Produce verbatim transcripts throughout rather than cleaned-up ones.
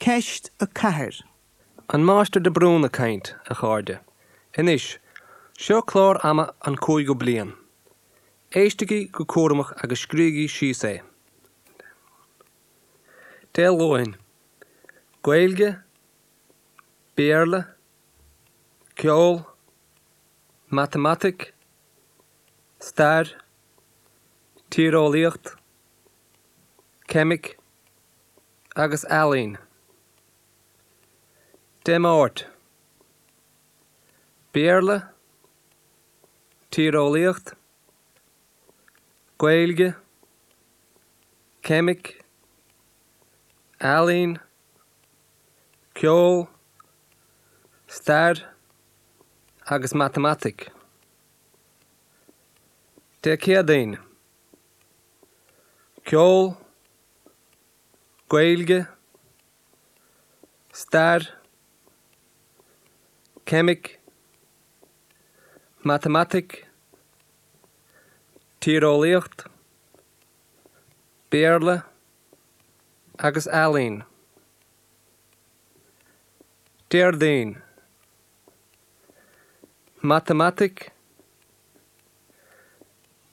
Ceist a ceathair. An Máistir de Brún ag caint, a chairde. Anois, seo clár ama an cúigiú bliain. Éistigí go cúramach agus scríobhaigí síos é. Dé Luain. Gaeilge, Béarla, Ceol, Matamaitic, Stair, Tíreolaíocht, Ceimic agus Ealaín. Dé Máirt. Béarla, Tíreolaíocht, Gaeilge, Ceimic, Ealaín, Ceol, Stair agus Matamaitic. Dé Céadaoin. Ceol, Gaeilge, Stair, Ceimic, Matamaitic, Tíreolaíocht, Béarla agus Ealaín. Déardaoin. Matamaitic,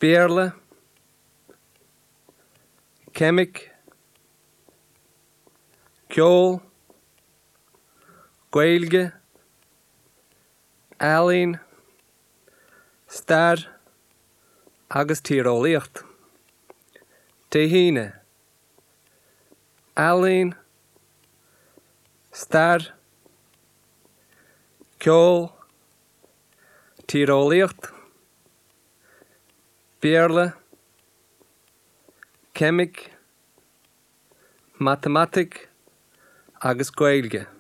Béarla, Ceimic, Ceol, Gaeilge, Ealaín, Stair agus Tíreolaíocht. Dé hAoine. Ealaín, Stair, Ceol, Tíreolaíocht, Béarla, Ceimic, Matamaitic agus Gaeilge.